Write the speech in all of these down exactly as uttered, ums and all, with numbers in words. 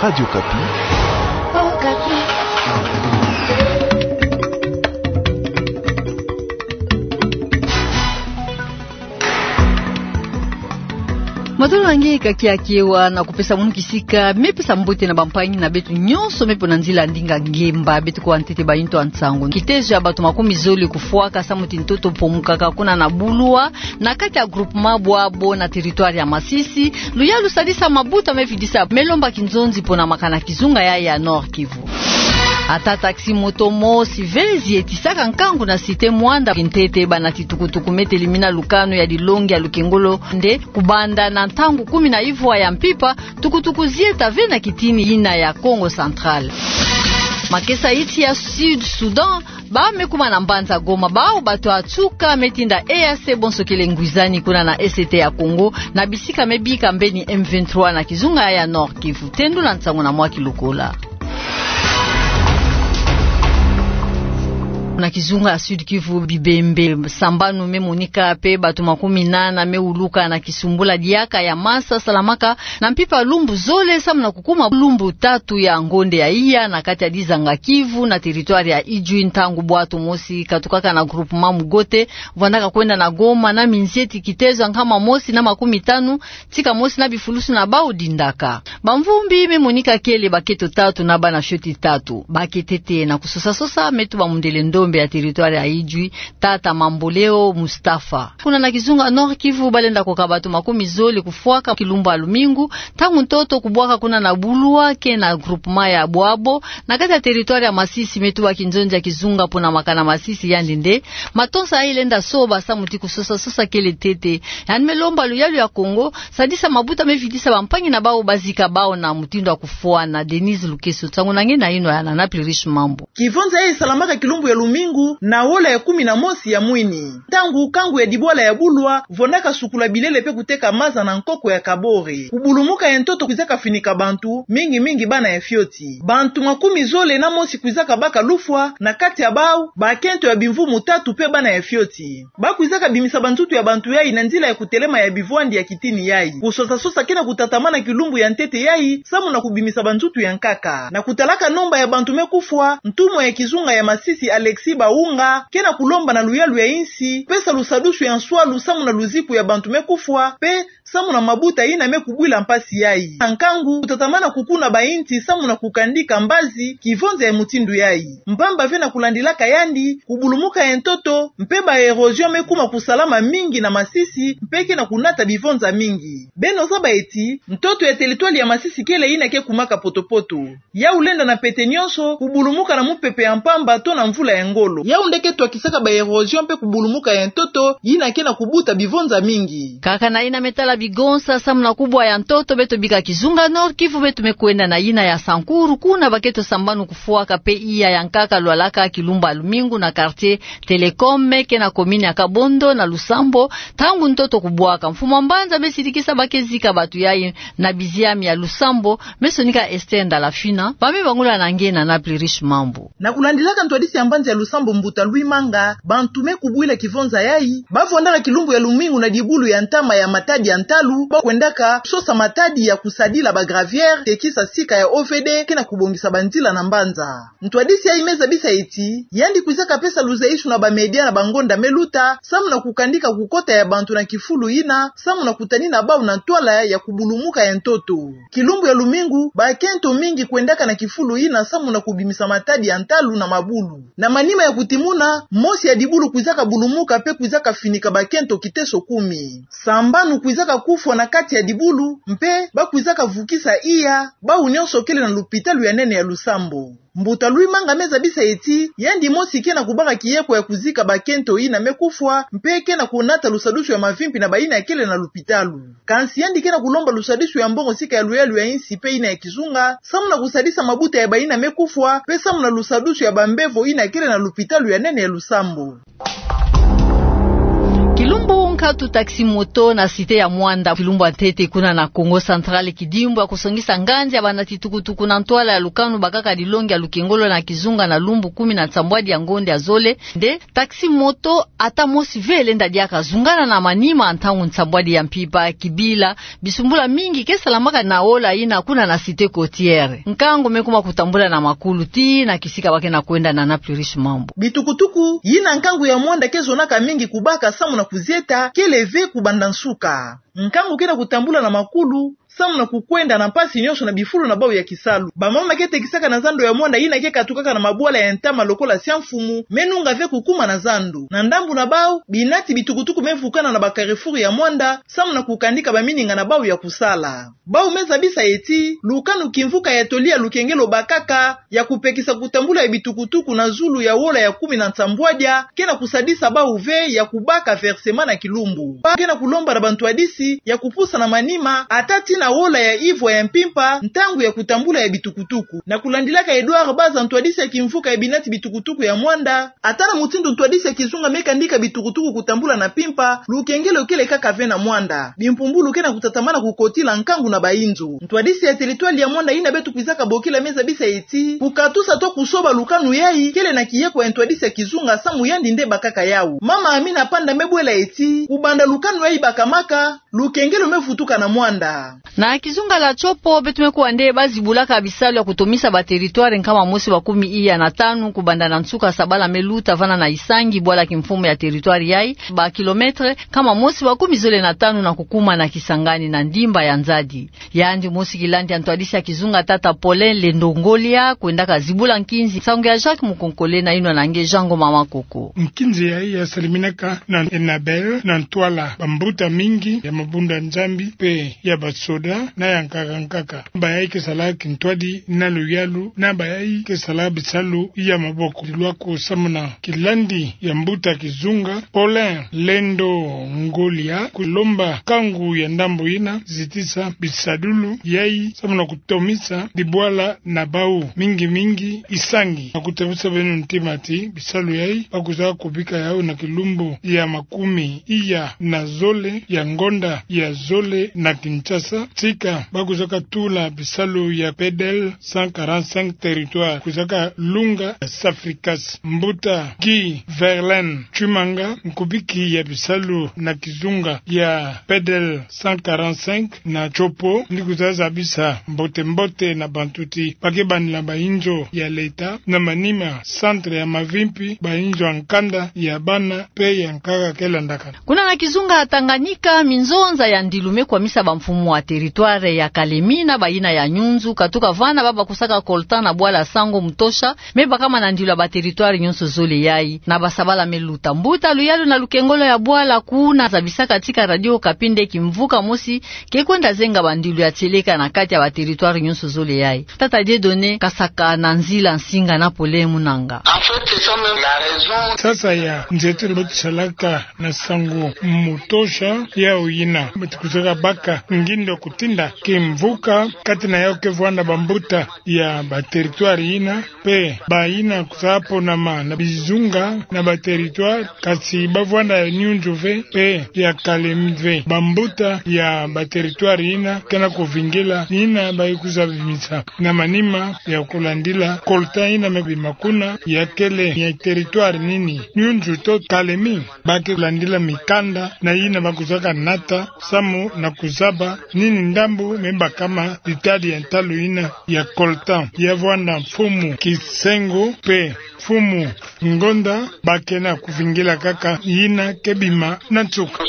Radio Okapi. Matolo na nge ka kiakiwa na kupesa munu kisika, me pesa mbote na bampangi na beto nyonso me pona nzila ndinga ngemba, beto kwa ntete ba yinto ya nsangu. Kitezo ya bato makumi zole kufwaka samu ti ntoto pomukaka kuna na Bulwa, na kati ya groupement Bwabo na territoire ya Masisi, luyalu sadisa mabuta me vidisa, me lomba kinzonzi pona makana kizunga ya, ya Nord-Kivu. Ata taxi-moto mosi ve zi etisaka nkangu na cité Muanda, kintete bana ti tukutuku me telimina lukanu ya dilongi ya lukengolo nde kubanda na ntangu kumi na ivwa ya mpimpa, tukutuku zi eta ve na kitini yina ya Kongo Central. Makesa iti ya Sud Soudan, ba me kuma na mbanza Goma, bau bato ya nsuka me tinda E A C bonso kele ngwizani kuna na Est ya Congo, na bisika me bika mbeni M vingt-trois na kizunga ya Nord-Kivu. Tendula nsangu na mwa kilokola. Na kizunga ya Sud-Kivu, bibembe sambanu me monika pe bato makumi nana me wuluka na kisumbula diaka ya masa salamaka na mpimpa lumbu zole samu na kukuma lumbu tatu ya ngonde ya iya na kati ya dizanga Kivu na territoire ya Idjwi, ntangu bwato mosi katukaka na groupement Mugote, vwandaka kwenda na Goma na minzeti kitezo ya nkama mosi na makumi tanu, tika mosi na bifulusu na bau dindaka. Bamvumbi me monika kele bakento tatu na bana fioti tatu. Baketete na kusosa-sosa me tuba mundele ndombe ya territoire ya Idjwi, tata Mamboleo Mustafa. Kuna na kizunga Nord-Kivu, balenda koka bato makumi zole kufwaka kilumbu ya lumingu, ntangu ntoto kubwaka kuna na Bulwa ke na groupement ya Bwabo, na kati ya territoire ya Masisi, me tuba kinzonzi ya kizunga pona makana Masisi, yandi nde matonsa yayi lenda soba samu ti kusosa-sosa kele ntete. Yandi me lomba luyalu ya Kongo sadisa mabuta me vidisa bampangi na bau bazika bau na mutindu ya kufwana. Denise Lukeso, nsangu na nge na yinwa ya Nana Plurish Mambu. Kivonza yayi salamaka kilumbu ya lumingu na wola ya kumi na mosi ya mwini, ntangu kangu ya dibwala ya Bulwa vwandaka sukula bilele pe kuteka maza na nkoko ya Kabore. Kubulumuka ya ntoto kwizaka finika bantu, mingi-mingi bana ya fioti. Bantu makumi zole na mosi kwizaka baka lufwa, na kati ya bau bakento ya bimvumu tatu pe bana ya fioti. Ba kwizaka bimisa banzutu ya bantu yayi na nzila ya kutelema ya bivwandi ya kitini yayi. Kusosa-sosa ke na kutatamana kilumbu ya ntete yayi samu na kubimisa banzutu ya nkaka. Na kutalaka nomba ya bantu me kufwa, ntumwa ya kizunga ya Masisi Alexis Baunga ke na kulomba na luyalu ya insi pesa lusadusu ya nswalu samu na luziku ya bantu me kufwa pe samu na mabuta yina me kubwila mpasi yayi. Na nkangu kutatamana kukuna bainti samu na kukandika mbazi kivonza ya mutindu yayi. Mpamba ve na kulandilaka yandi, kubulumuka ya ntoto mpe ba érosion me kuma kusalama mingi na Masisi mpe ke na kunata bivonza mingi. Beno zaba ti ntoto ya territoire ya Masisi kele yina ke kumaka poto-poto. Yau lenda na pete nyonso kubulumuka na mupepe ya mpamba to na mvula ya ngolo. Yau nde ke twakisaka ba érosion mpe kubulumuka ya ntoto yina ke na kubuta bivonza mingi. Kaka na yina me tala bigonsa samu na kubwa ya ntoto, beto bika kizunga Nord-Kivu, beto me kwenda na yina ya Sankuru, kuna bakento sambanu kufwaka pe iya ya nkaka lwalaka kilumbu ya lumingu na quartier Télécom, me ke na commune ya Kabondo na Lusambo, ntangu ntoto kubwaka. Mfumu wa mbanza me sidikisa ba ke zika bato yayi na biziami ya Lusambo, me sonika Esther Ndalafina, ba me bangula na nge na Nana Plurish Mambu. Na kulandilaka ntwadisi ya mbanza ya Lusambo, mbuta Louis Manga, bantu me kubwila kivonza yayi ba vwandaka kilumbu ya lumingu na dibulu ya ntama ya matadi ya ntalu, ba kwendaka sosa matadi ya kusadila ba gravière, tekisa sika ya O V D ke na kubongisa banzila na mbanza. Ntwadisi yayi me zabisa ti yandi kwizaka pesa luzayisu na ba média na ba ngonda me luta samu na kukandika kukota ya bantu na kifulu yina samu na kutanina bau na ntwala ya kubulumuka ya ntoto. Kilumbu ya lumingu bakento mingi kwendaka na kifulu yina samu na kubimisa matadi ya ntalu na mabulu. Na manima ya kutimuna, mosi ya dibulu kwizaka bulumuka mpe kwizaka finika bakento kiteso kumi. Sambanu kwizaka kufwa na kati ya dibulu, mpe ba kwizaka vukisa iya, bau nyonso kele na lupitalu ya nene ya Lusambo. Mbuta Louis Manga me zabisa ti yandi mosi ke na kubaka kiyeko ya kuzika bakento yina me kufwa, mpe ke na kunata lusadusu ya mavimpi na bayina kele na lupitalu. Kansi yandi ke na kulomba lusadusu ya mbongo sika ya luyalu ya insi mpe yina ya kizunga, samu na kusadisa mabuta ya bayina me kufwa, mpe samu na lusadusu ya bambevo yina kele na lupitalu ya nene ya Lusambo. Kilumbu Mbu nkatu taxi moto na cité ya Muanda, kilumbu ya ntete kuna na Kongo Central, kidimbu ya kusongisa nganzi ya banati tukutuku na ntwala ya lukanu bakaka dilongi ya lukengolo na kizunga na lumbu kumi na nsambwadi ya ngonda ya zole. Nde taxi moto ata mosi ve lenda diaka zungana na manima ntangu nsambwadi ya mpimpa, kibila bisumbula mingi ke salamaka na ola yina kuna na cité côtière. Nkangu me kuma kutambula na makulu tii na kisika ba ke na kwenda na Napluris Mambu. Bitukutuku yina nkangu ya Muanda ke zonaka mingi kubaka samu na kuzieta kele ve kubanda nsuka. Nkangu ke na kutambula na makulu samu na kukwenda na mpasi nyonso na bifulu na bau ya kisalu. Bamama ke tekisaka na zando ya Muanda yina ke katukaka na mabwala ya ntama lokola Sia Mfumu me nunga ve kukuma na zando. Na ndambu na bau, binati bitukutuku me vukana na ba carrefour ya Muanda samu na kukandika bamininga na bau ya kusala. Bau me zabisa ti lukanu kimvuka ya toli ya lukengelo bakaka ya kupekisa kutambula ya bitukutuku na zulu ya ola ya kumi na nsambwadia ke na kusadisa bau ve ya kubaka versement na kilumbu. Bau ke na kulomba na bantwadisi ya kupusa na manima ata tii na ola ya ivwa ya mpimpa ntangu ya kutambula ya bitukutuku. Na kulandilaka Edouard Baza, ntwadisi ya kimvuka ya binati bitukutuku ya Muanda, ata na mutindu ntwadisi ya kizunga me kandika bitukutuku kutambula na mpimpa, lukengelo kele kaka ve na Muanda. Bimpumbulu ke na kutatamana kukotila nkangu na bainzo. Ntwadisi ya territoire ya Muanda yina beto kwizaka bokila me zabisa ti kukatusa to kusoba lukanu yayi kele na kieko ya ntwadisi ya kizunga samu yandi nde bakaka yau. Mama Amina Panda me bwela ti kubanda lukanu yayi bakamaka, lukengelo me vutuka na Muanda. Na kizunga la Tshopo, beto me kuwa nde ba zibulaka bisalu ya kutomisa ba territoire nkama mosi wa kumi iya na tanu kubanda na nsuka sabala me luta vana na Isangi, bwala kimfumu ya territoire yayi, ba kilomètre nkama mosi wa kumi zole na tanu na kukuma na Kisangani na ndimba ya Nzadi. Yandi mosi kilandi ya ntwadisi ya kizunga, tata Paulin Lendo Ngolia, kwendaka zibula nkinzi. Nsangu ya Jacques Mukonkole na inwa na nge Jean Ngoma Makoko. Nkinzi yayi ya saliminaka na Enabel, na ntwala bambuta mingi ya mabunda Nzambi mpe ya basoda na ya nkaka nkaka. Bayayi ke sala kintwadi na luyalu, na bayayi ke sala bisalu ya maboko. Lwako samu na kilandi ya mbuta kizunga, Paulin Lendo Ngolia, kulomba nkangu ya ndambu yina zitisa bisadulu yayi samu na kutomisa dibwala na bau, mingi mingi Isangi. Na kutabisa beno ntima ti bisalu yayi ba kwiza kubika yau na kilumbu ya makumi iya na zole ya ngonda ya zole na Kinshasa. Tika ba kwizaka tula bisalu ya P D L cent quarante-cinq territoire, kwizaka lunga Safricas. Mbuta Guy Verlaine Tshimanga, nkubiki ya bisalu na kizunga ya P D L cent quarante-cinq na Tshopo, ni kwiza zabisa mbote mbote na bantu ti ba ke bandila bainzo ya leta, na manima centre ya mavimpi, bainzo ya nkanda, ya bana mpe ya nkaka ke landaka. Kuna na kizunga Tanganyika, minzonza ya ndilu me kwamisa bamfumu wa territoire ya Kalemi na bayina ya Nyunzu katuka vana ba bakusaka coltan na bwala Sango Mutosha, me bakama na ndilu ya ba territoire nyonso zole yayi, na basabala me luta. Mbuta luyalu na lukengolo ya bwala kuna zabisaka tika Radio Okapi nde kimvuka mosi ke kwenda zenga bandilu ya tieleka na kati ya ba territoire nyonso zole yayi. Tata Dieudonné Kasaka na nzila nsinga na Paulin Munanga. En fait, c'est ça même la raison. Sasa ya nzietolo beto salaka na Sango Mutosha, yau yina beto kwizaka baka ngindo kutinda kimvuka kati na yau ke vwanda bambuta ya ba territoire yina, mpe bayina kwiza ponama na bizunga na ba territoire, kasi ba vwanda ya Nyunzu ve mpe ya Kalemi ve. Bambuta ya ba territoire yina ke na kuvingila ni yina ba ye kwiza bimisa. Na manima ya kulandila coltan yina me bima kuna, ya kele ya territoire nini, Nyunzu to Kalemi, ba ke landila mikanda na yina ba kwizaka nata samu na kuzaba nini ndambu me bakama ditadi ya ntalu yina ya coltan. Ya vwanda mfumu kisengo mpe mfumu ngonda ba ke na kuvingila kaka yina ke bima na nsuka.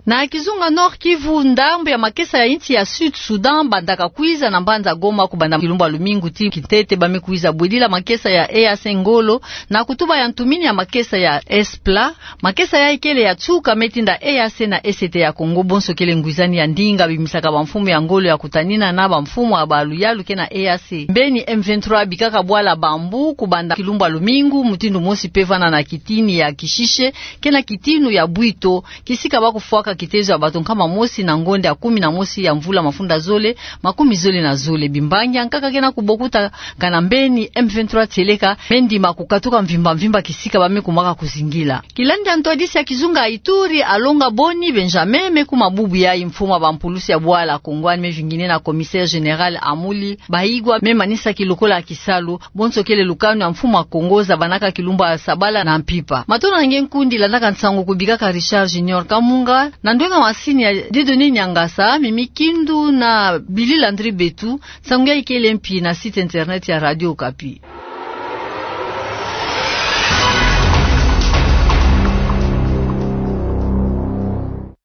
Na kizunga Nord-Kivu, ndambu ya makesa ya insi ya Sud-Soudan bandaka kwiza na mbanza Goma kubanda kilumbu ya lumingu ti kintete. Ba me kwiza bwedila makesa ya E A C ngolo na kutuba ya ntumini ya makesa ya S P L A. Makesa yayi kele ya nsuka me tinda E A C na E C T ya Congo, bonso kele ngwizani ya ndinga bimisaka bamfumu ya ngolo ya kutanina na bamfumu ya baluyalu ke na E A C. Mbeni M vingt-trois bikaka bwala Bambu kubanda kilumbu ya lumingu, mutindu mosi mpe vana na kitini ya Kishishe ke na kitini ya Bwito, kisika ba kufwaka kitezo ya bato nkama mosi na ngonde ya kumi na mosi ya mvula mafunda zole makumi zole na zole. Bimbangi ya nkaka ke na kubokuta kana mbeni M vingt-trois tieleka me ndima kukatuka mvimba mvimba kisika ba me kumwaka kuzingila. Kilandi ya ntwadisi ya kizunga ya Ituri, Alonga Boni Benjamin, me kuma bubu yayi mfumu wa bampulusi ya bwala Kongo, ani me vingine na commissaire général Amuli Baigwa, me manisaki lokola kisalu. Bonso kele lukanu ya mfumu wa Kongo zabanaka kilumbu ya sabala na mpimpa. Matondo na nge nkundi landaka nsangu kubikaka Richard Junior Kamunga, na ndwenga masini ya Dieudonné Niangasa, Mimi Kindu na Billy Landry Betu. Nsangu yayi kele mpi na site internet ya Radio Okapi.